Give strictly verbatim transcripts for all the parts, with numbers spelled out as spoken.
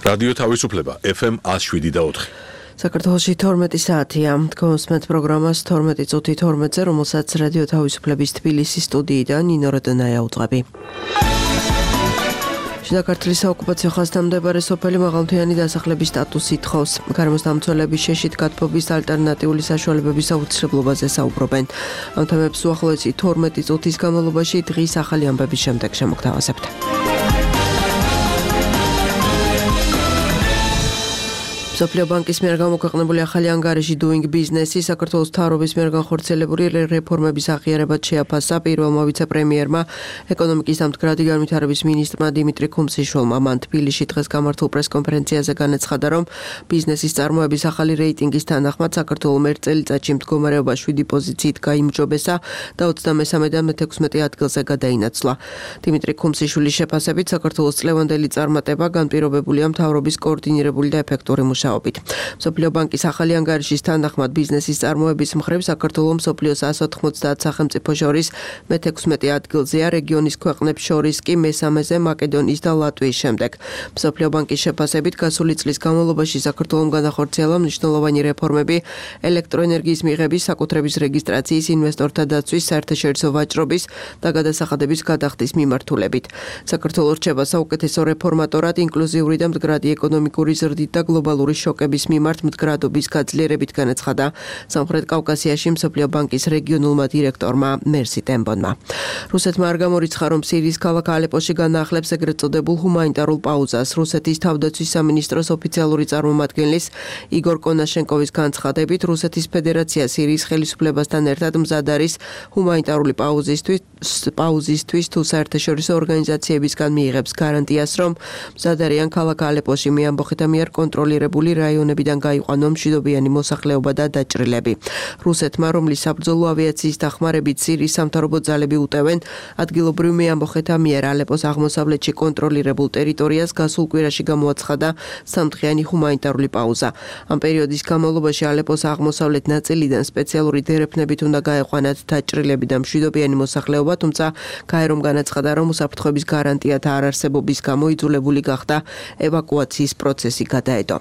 რადიო თავისუფლება ეფ ემ one oh seven და four. საქართველოში თორმეტი საათია. Თქვენს პროგრამას თორმეტი წუთი თორმეტზე, რომელსაც რადიო თავისუფლების თბილისის სტუდიიდან ნინო როდონაია უძღვები. შიდა ქართლის საოკუპაციო ხაზთან მდებარე სოფელი მაღალმთიანი დასახლების სტატუსი თხოვს. გარემოსდამცველების შეშით გათბობის ალტერნატიული საშუალებების აუცილებლობაზე საუბრობენ. ამ თემებს უახლოესი თორმეტი წუთის განმავლობაში დღის ახალი ამბების შემდეგ შემოგთავაზებთ. მსოფლიო ბანკის მიერ გამოქვეყნებული ახალი ანგარიში Doing Business-ი საქართველოს მთავრობის მიერ განხორციელებული რეფორმების აღიარებად შეაფასა პირველმა ვიცე-პრემიერმა, ეკონომიკის დამდგრადი განვითარების მინისტრმა დიმიტრი ქუმსიშვილმა. მან თბილისში დღეს გამართულ პრესკონფერენციაზე განაცხადა, რომ ბიზნესის წარმოების ახალი რეიტინგის თანახმად საქართველოს ერთ წელიწადში მდგომარეობა შვიდი პოზიციით გაიმჯობესა და ოცდამესამედან მეთექვსმეტე ადგილზე გადაინაცვლა. დიმიტრი ქუმსიშვილის შეფასებით, საქართველოს წლევანდელი წარმატება განპირობებულია მთავრობის კოორდინირებული და ეფექტური მუშაობით. მსოფლიო ბანკის ახალი ანგარიშის თანახმად ბიზნესის წარმოების მხრივ საქართველოს მსოფლიოს one hundred ninety სახელმწიფო შორის მეთექვსმეტე ადგილზეა, რეგიონის ქვეყნებს შორის კი მესამეზე მაკედონიის და ლატვიის შემდეგ. მსოფლიო ბანკის შეფასებით, გასული წლის განმავლობაში საქართველოს განახორციელა მნიშვნელოვანი რეფორმები ელექტროენერგიის მიღების, საკუთრების რეგისტრაციის, ინვესტორთა დაცვის, საერთაშორისო ვაჭრობის და გადასახადების გადახდის მიმართულებით. საქართველოს რჩება საუკეთესო რეფორმატორად ინკლუზიური და მდგრადი ეკონომიკური ზრდით და გლობალური შოკების მიმართ მდგრადობის გაძლიერებით, განაცხადა სამხრეთ კავკასიაში მსოფლიო ბანკის რეგიონულმა დირექტორმა მერსი ტემბონმა. რუსეთმა არ გამორიცხა, რომ სირიის ქალაქ ალეპოში განაახლებს ეგრეთ წოდებულ ჰუმანიტარულ პაუზას. რუსეთის თავდაცვის სამინისტროს ოფიციალური წარმომადგენლის იგორ კონაშენკოვის განცხადებით, რუსეთის ფედერაცია სირიის ხელისუფლებასთან ერთად მზად არის ჰუმანიტარული პაუზისთვის, პაუზისთვის თუ საერთაშორისო ორგანიზაციებისგან მიიღებს გარანტიას, რომ მზად არიან ქალაქ ალეპოში მეამბოხეთა მიერ კონტროლირებული რაიონებიდან გაიყვანო მშვიდობიანი მოსახლეობა და დაჭრილები. რუსეთმა, რომლის საბრძოლო ავიაციის დახმარებით სირიის სამთავრობო ძალები უტევენ ადგილობრივ მეამბოხეთა მიერ ალეპოს აღმოსავლეთში კონტროლირებულ ტერიტორიას, გასულ კვირაში გამოაცხადა სამდღიანი ჰუმანიტარული პაუზა. ამ პერიოდის განმავლობაში ალეპოს აღმოსავლეთ ნაწილიდან სპეციალური დერეფნებით უნდა გაეყვანათ დაჭრილები და მშვიდობიანი მოსახლეობა, თუმცა გაერომ განაცხადა, რომ უსაფრთხოების გარანტიათა არარსებობის გამო იძულებული გახდა ევაკუაციის პროცესი გადაედო.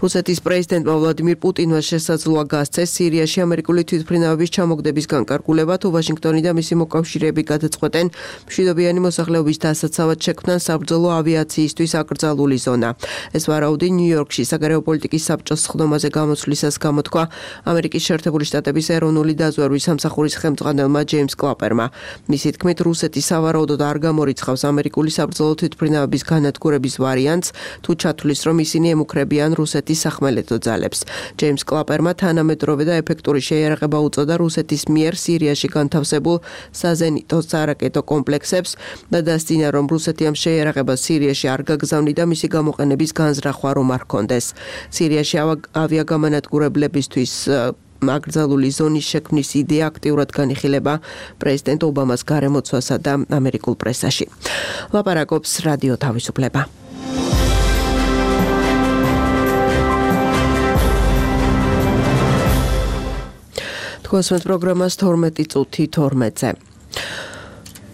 რუსეთის პრეზიდენტმა ვლადიმირ პუტინმა შესაძლოა გასცეს სირიაში ამერიკული თვითმფრინავების ჩამოგდების განკარგულება, თუ ვაშინგტონი და მისი მოკავშირეები გადაწყვეტენ მშვიდობიანი მოსახლეობის დასაცავად შექმნან საბრძოლო ავიაციისთვის აკრძალული ზონა. ეს ვარაუდი ნიუ-იორკში საგარეო პოლიტიკის საბჭოს სხდომაზე გამოსვლისას გამოთქვა ამერიკის შეერთებული შტატების ეროვნული დაზვერვის სამსახურის ხელმძღვანელმა ჯეიმს კლაპერმა. მისი თქმით, რუსეთი სავარაუდოდ არ გამორიცხავს ამერიკული საბრძოლო თვითმფრინავების განადგურების ვარიანტს, თუ ჩათვლის, რომ ისინი ემუქრებიან რუსეთის სახმელეთო ძალებს. ჯეიმს კლაპერმა თანამედროვე და ეფექტური შეიარაღება უწოდა რუსეთის მიერ სირიაში განთავსებულ საზენიტო სარაკეტო კომპლექსებს და დასძინა, რომ რუსეთი ამ შეიარაღებას სირიაში არ გაგზავნიდა და მისი გამოყენების განზრახვა რომ არ ჰქონდეს. სირიაში ავიაგამანადგურებლებისთვის აკრძალული ზონის შექმნის იდეა აქტიურად განიხილება პრეზიდენტ ობამას გარემოცვასა და ამერიკულ პრესაში. ლაპარაკობს რადიო თავისუფლება. თქვენს პროგრამას თორმეტი წუთი თორმეტზე.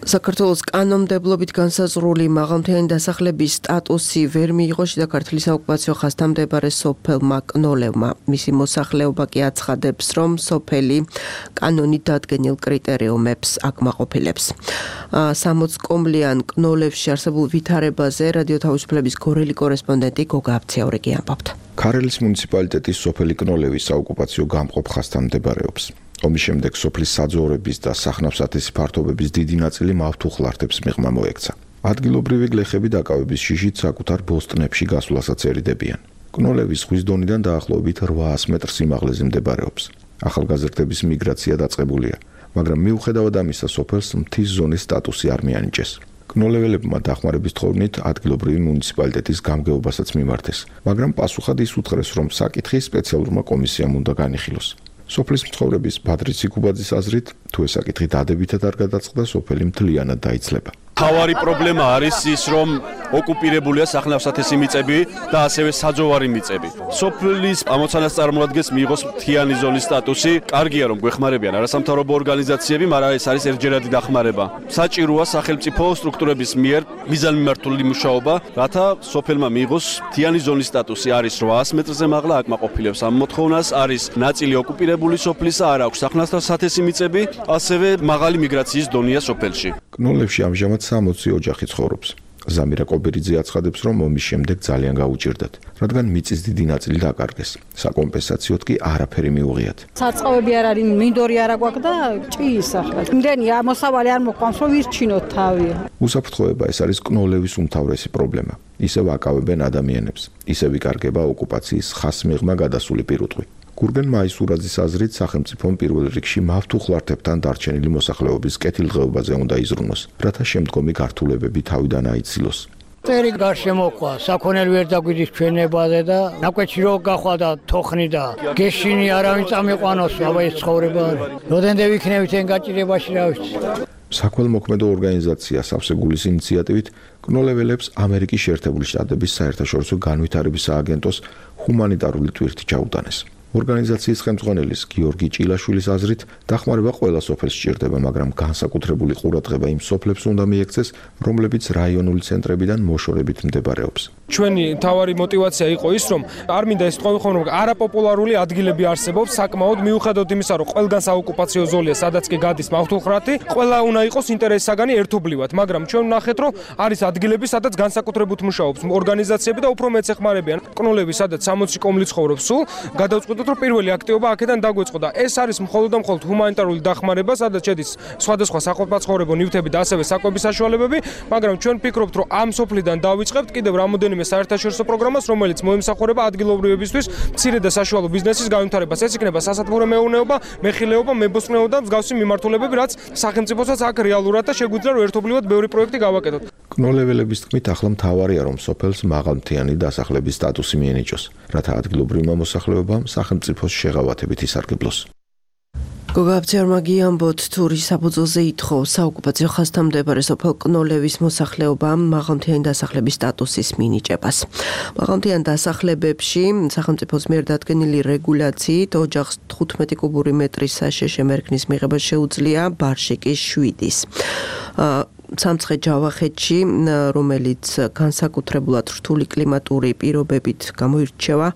საქართველოს კანონმდებლობით განსაზღვრული მაღალმთიანი დასახლების სტატუსი ვერ მიიღო შიდა ქართლის საოკუპაციო ხაზთან მდებარე სოფელმა კნოლევმა. მისი მოსახლეობა კი აცხადებს, რომ სოფელი კანონით დადგენილ კრიტერიუმებს აკმაყოფილებს. სამოც კომლიან კნოლევში არსებულ ვითარებაზე რადიო თავისუფლების გორელი კორესპონდენტი გოგა აბციაურიგი ამბობთ. ქარელის მუნიციპალიტეტის სოფელი კნოლევი საოკუპაციო გამყოფ ხაზთან მდებარეობს. ომის შემდეგ სოფლის საძოვრების და სახნავსათესი ფართობების დიდი ნაწილი მავთუხლართებს მიღმა მოექცა. ადგილობრივი გლეხები დაკავების შიშით საკუთარ ბოსტნებში გასვლასაც ერიდებიან. კნოლევის ზღვის დონიდან დაახლოებით რვაას მეტრ სიმაღლეზე მდებარეობს. ახალგაზრდების მიგრაცია დაწყებულია, მაგრამ მიუხედავად ამისა სოფელს მთის ზონის სტატუსი არ მიანიჭეს. კნოლეველებმა დახმარების თხოვნით ადგილობრივი მუნიციპალიტეტის გამგეობასაც მიმართეს, მაგრამ პასუხად ის უთხრეს, რომ საკითხი სპეციალურმა კომისიამ უნდა განიხილოს. სოფლის მცხოვრების ბადრი ციკუბაძის აზრით, თუ ეს საკითხი დადებითად არ გადაწყდა, სოფელი მთლიანად დაიცლება. თავარი პრობლემა არის ის, რომ ოკუპირებულია სახნავ-სათესი მიწები და ასევე საძოვარი მიწები. სოფლის ამოცანას წარმოადგენს მიიღოს მთიანი ზონის სტატუსი. კარგია რომ გვეხმარებიან არასამთავრობო ორგანიზაციები, მაგრამ ეს არის ერთჯერადი დახმარება. საჭიროა სახელმწიფო სტრუქტურების მიერ მიზანმიმართული მუშაობა, რათა სოფელმა მიიღოს მთიანი ზონის სტატუსი. არის რვაასი მეტრზე მაღლა, აკმაყოფილებს ამ მოთხოვნას, არის ნაწილი ოკუპირებული სოფლისა, არ აქვს სახნავ-სათესი მიწები, ასევე მაღალი მიგრაციის დონეა სოფელში. კნოლებში ამჟამად სამოცი ოჯახი ცხოვრობს. ზამირა კობერიძე აცხადებს, რომ ომის შემდეგ ძალიან გაუჭირდათ, რადგან მიწის დიდი ნაწილი დაკარგეს. საკომპენსაციოდ კი არაფერი მიუღიათ. საწყობები არ არის, მინდორი არ აქვს და ჭიის ახლა. იმდენი ამოსავალი არ მოყვანს, რომ ვირჩინოთ თავი. უსაფრთხოება ეს არის კნოლევის უმთავრესი პრობლემა. ისევ აკავებენ ადამიანებს, ისევ იკარგება ოკუპაციის ხასმიღმა გადასული პირუტყვი. გურგენ მაისურაძის აზრით, სახელმწიფომ პირველ რიგში მავთუხლართებთან დარჩენილი მოსახლეობის კეთილდღეობაზე უნდა იზრუნოს, რათა შემდგომი გართულებები თავიდან აიცილოს. წერი გარშემოყვა, საქონელი ვერ დაგვიდის ჩვენებაზე და ნაკვეთში რო გახვა და თოხნი და გეშინი არავინ წამიყვანოს, აბა ეს ცხოვრება არის. როდენდე ვიქნებით εν გაჭირებაში რა ვიცი. საქველმოქმედო ორგანიზაცია სავსეგულის ინიციატივით კნოლეველებს ამერიკის შეერთებული შტატების საერთაშორისო განვითარების სააგენტოს ჰუმანიტარული ტვირთი ჩაუტანეს. ორგანიზაციის ხელმძღვანელის გიორგი ჭილაშვილის აზრით, დახმარება ყველა სოფელს სჭირდება, მაგრამ განსაკუთრებული ყურადღება იმ სოფლებს უნდა მიექცეს, რომლებიც რაიონული ცენტრებიდან მოშორებით მდებარეობს. ჩვენი თავარი мотиваცია იყო ის, რომ არ მინდა ეს თქვენ ხომ რომ არაპოპულარული ადგილები არსებობს, საკმაოდ მიუხედავად იმისა, რომ ყველგან საოკუპაციო ზოლია, სადაც კი გადის მავთუხლრათი, ყველა უნდა იყოს ინტერესსაგანი ერთობლივად, მაგრამ ჩვენ ვნახეთ, რომ არის ადგილები, სადაც განსაკუთრებულად მუშაობს ორგანიზაციები და უფრო მეც ეხმარებიან. კნოლები, სადაც სამოცი კომლი ცხოვრობს სულ, გადავწყვეტ რომ პირველი აქტივობა აქედან დაგვეწყო და ეს არის მხოლოდ და მხოლოდ ჰუმანიტარული დახმარება, სადაც შედის სხვადასხვა საყოფაცხოვრებო ნივთები და ასევე საკვების საშუალებები, მაგრამ ჩვენ ვფიქრობთ, რომ ამ სოფლიდან დავიწყებთ კიდევ რამოდენიმე საერთაშორისო პროგრამას, რომელიც მოემსახურება ადგილობრივებისთვის მცირე და საშუალო ბიზნესის განვითარებას. ეს იქნება სასათბურო მეურნეობა, მეხილეობა, მებოსტნეობა და მსგავსი მიმართულებები, რაც სახელმწიფოსაც აქ რეალურად და შეგვიძლია რომ ერთობლივად ბევრი პროექტი გავაკეთოთ. კნოლეველების თქმით, ახლა მთავარია რომ სოფელს მაღალმთიანი დასახლების სტატუსი მიენიჭოს, რათა ადგილობრივმა მოსახლეობამ სახელმწიფოს შეღავათებით ისარგებლოს. გოგაბცერმა გიამბოთ თურის საფუძველზე ითხოვს საოკუპაციო ხაზთან მდებარე სოფელ კნოლევის მოსახლეობამ მაღალმთიანი დასახლების სტატუსის მინიჭებას. მაღალმთიან დასახლებებში სახელმწიფოს მიერ დადგენილი რეგულაციით ოჯახს თხუთმეტი კუბური მეტრის საშეშე მერქნის მიღება შეუძლია, ბარში კი შვიდის. სამცხე ჯავახეთში, რომელიც განსაკუთრებულად რთული კლიმატური პირობებით გამოირჩევა,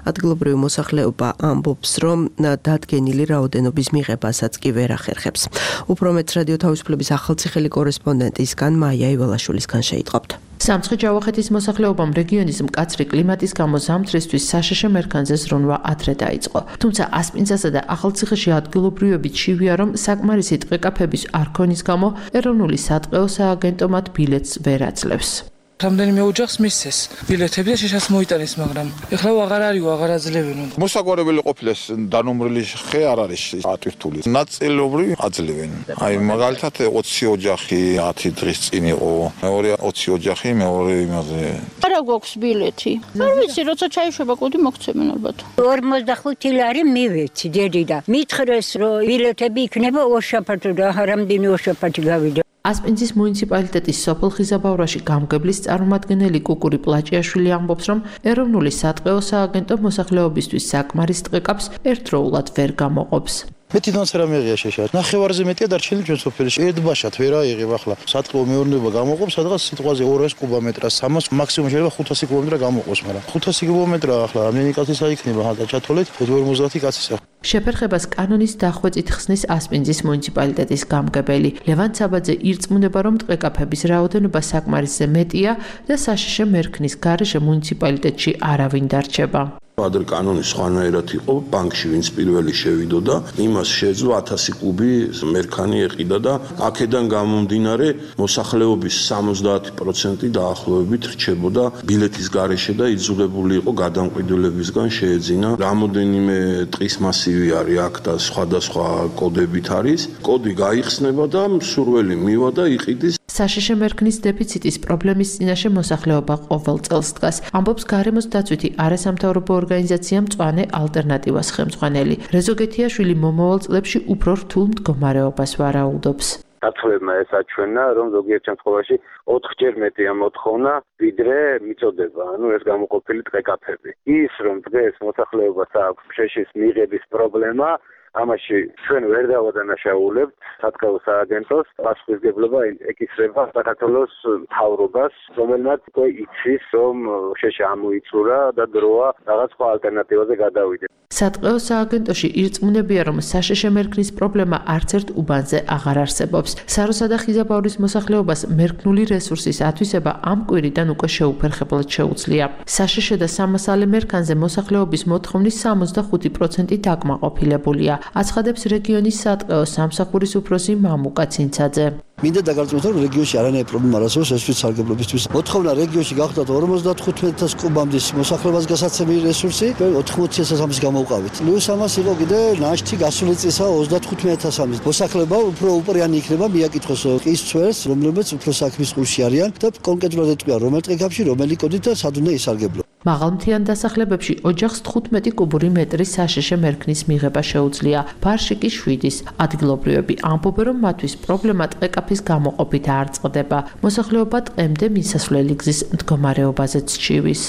ადგილობრივი მოსახლეობა ამბობს, რომ დადგენილი რაოდენობის მიღებასაც კი ვერ ახერხებს. უფრო მეც რადიო თავისუფლების ახალციხელი კორესპონდენტისგან მაია ივალაშვილისგან შეიტყობთ. სამცხე ჯავახეთის მოსახლეობამ რეგიონის მკაცრი კლიმატის გამო ზამთრისთვის საშეშე მერქანზე ზრუნვა ადრე დაიწყო. თუმცა ასპინძასა და ახალციხეში ადგილობრივებით შივია, რომ საკმარისი ტყეკაფების არ ქონის გამო ეროვნული სატყეო სააგენტო მათ ბილეთს ვერ აძლევს. რამდენიმე ოჯახს მისცეს ბილეთები და შეშას მოიტანეს, მაგრამ ეხლა აღარ არისო, აღარ აძლევენ. მოსაგვარებელი ყოფილეს დანომრილი ხე არ არის ატვირთული. ნაწილობრივ აძლევენ. აი მაგალითად ოცი ოჯახი ათი დღის წინ იყო, მეორე ოცი ოჯახი მეორე იმაზე. არა გვაქვს ბილეთი. არ ვიცი, როცა ჩაიშვება კუდი მოგცემენ ალბათ. ორმოცდახუთი ლარი მივეცი დედი და მითხრეს, რომ ბილეთები იქნება ორშაბათი და რამდენი ორშაბათი გავიდა. ასპინძის მუნიციპალიტეტის სოფელ ხიზაბავრაში გამგებლის წარმომადგენელი კუკური პლაჭიაშვილი ამბობს, რომ ეროვნული სატყეო სააგენტო მოსახლეობისთვის საკმარის ტყეკაპს ერთდროულად ვერ გამოყოფს. მე თვითონაც რა მეღია შეშა. ნახევარზე მეტია დარჩენილი ჩვენ სოფელში. ერთბაშად ვერ აიღებ ახლა. სატყეო მეურნეობა გამოყოფს სადღაც სიტყვაზე ორასი კუბომეტრას, სამას მაქსიმუმ შეიძლება ხუთასი კუბომეტრა გამოყოს, მაგრამ ხუთასი კუბომეტრა ახლა რამდენი კაცის აიქნება ხალხა ჩათოლეთ ორმოცდაათი კაცის. შეფერხებას კანონის დახვეწით ხსნის ასპინძის მუნიციპალიტეტის გამგებელი. ლევან საბაძე ირწმუნება, რომ ტყეკაფების რაოდენობა საკმარისზე მეტია და საშეშე მერქნის გარეშე მუნიციპალიტეტში არავინ დარჩება. ადრე კანონი სხვანაირად იყო, ბანკში ვინც პირველი შევიდოდა, იმას შეძლო ათასი კუბი მერქანი ეყიდა და აქედან გამომდინარე მოსახლეობის სამოცდაათი პროცენტი დაახლოებით რჩებოდა ბილეთის გარეშე და იძულებული იყო გადამკვიდრებლებისგან შეეძინა. რამოდენიმე ტყის მასივი არის აქ და სხვადასხვა კოდებით არის. კოდი გაიხსნება და მსურველი მივა და იყიდის. საშეშე მერქნის დეფიციტის პრობლემის წინაშე მოსახლეობა ყოველ წელს დგას, ამბობს გარემოს დაცვითი არასამთავრობო ორგანიზაცია მწვანე ალტერნატივას ხელმძღვანელი. რეზო გეთიაშვილი მომავალ წლებში უფრო რთულ მდგომარეობას ვარაუდობს. საცხოვრებმა ეს აჩვენა, რომ ზოგიერთ შემთხვევაში ოთხჯერ მეტი ამოთხოვნა, ვიდრე მიწოდება, ანუ ეს გამოყოფილი ტყეკაფები. ის რომ დღეს მოსახლეობას აქვს შეშის მიღების პრობლემა, ამაში ჩვენ ვერ დავადანაშაულებთ სათქაო სააგენტოს, პასუხისმგებლობა ეკისრება საქართველოს მთავრობას, რომელმაც უკვე იცის, რომ შეშა ამოიწურა და დროა რაღაც სხვა ალტერნატივაზე გადავიდა. სათქაო სააგენტოში ირწმუნებია, რომ საშეშე მერქნის პრობლემა არც ერთ უბანზე აღარ არსებობს. საროსა და ხიზაბავრის მოსახლეობას მერქნული რესურსის ათვისება ამ კვირიდან უკვე შეუფერხებლად შეუძლია. საშეშე და სამასალე მერქანზე მოსახლეობის მოთხოვნის სამოცდახუთი პროცენტი დაკმაყოფილებულია. აცხადებს რეგიონის სათქაო სამსახურის უფროსი მამუკა ცინცაძე. მინდა დაგარწმუნოთ, რომ რეგიონში არანაირი პრობლემა არ არსებობს ეს სარგებლობისთვის. მოთხოვნა რეგიონში გახდათ ორმოცდათხუთმეტ ათას კუბამდე მოსახლეობას გასაცემი რესურსი, ოცდაოთხი ათას ამის გამოვყავით. პლუს ამას იყო კიდე ნაშთი გასული წესა ოცდათხუთმეტ ათას ამის. მოსახლეობა უფრო უპრიანი იქნება მიაკითხოს ყის ცვერს, რომლებიც უფრო საქმის ყურში არიან და კონკრეტულად ეტყვია რომელ ტყეკაფში, რომელი კოდით და სად უნდა ისარგებლო. მაღალმთიან დასახლებებში ოჯახს თხუთმეტი კუბური მეტრის საშეშე მერქნის მიღება შეუძლია. ბარში კი შვიდის. ადგილობრივები ამბობენ, რომ მათთვის პრობლემა ტყეკაფის გამოყოფით არ წყდება. მოსახლეობა ტყემდე მისასვლელი გზის მდგომარეობაზეც ჩივის.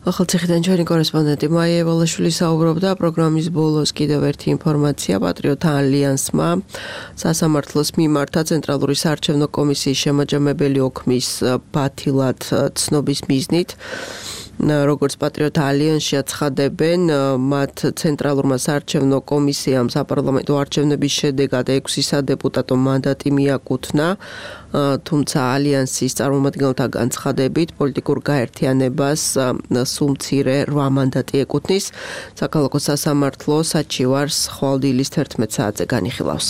ახალციხიდან ჩვენი კორესპონდენტი მაია ევალაშვილი საუბრობდა პროგრამის ბოლოს კიდევ ერთი ინფორმაცია პატრიოტთა ალიანსმა სასამართლოს მიმართა ცენტრალური საარჩევნო კომისიის შემაჯამებელი ოქმის ბათილად ცნობის მიზნით. როგორც პატრიოტთა ალიანსში აცხადებენ, მათ ცენტრალურმა საარჩევნო კომისიამ საპარლამენტო არჩევნების შედეგად ექვსი სადეპუტატო მანდატი მიაკუთვნა, თუმცა ალიანსის წარმომადგენელთა განცხადებით პოლიტიკურ გაერთიანებას სულ მცირე რვა მანდატი ეკუთვნის. საქალაქო სასამართლო საჩივარს ხვალ-დილის თერთმეტ საათზე განიხილავს.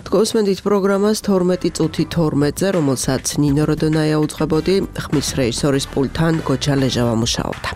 თქვენსმენდით პროგრამას თორმეტი წუთი თორმეტზე, რომელსაც ნინო როდონაია უძღვებოდი, ხმის რეჟისორის პულტთან გოჩა ლეჟავა მუშაობდა.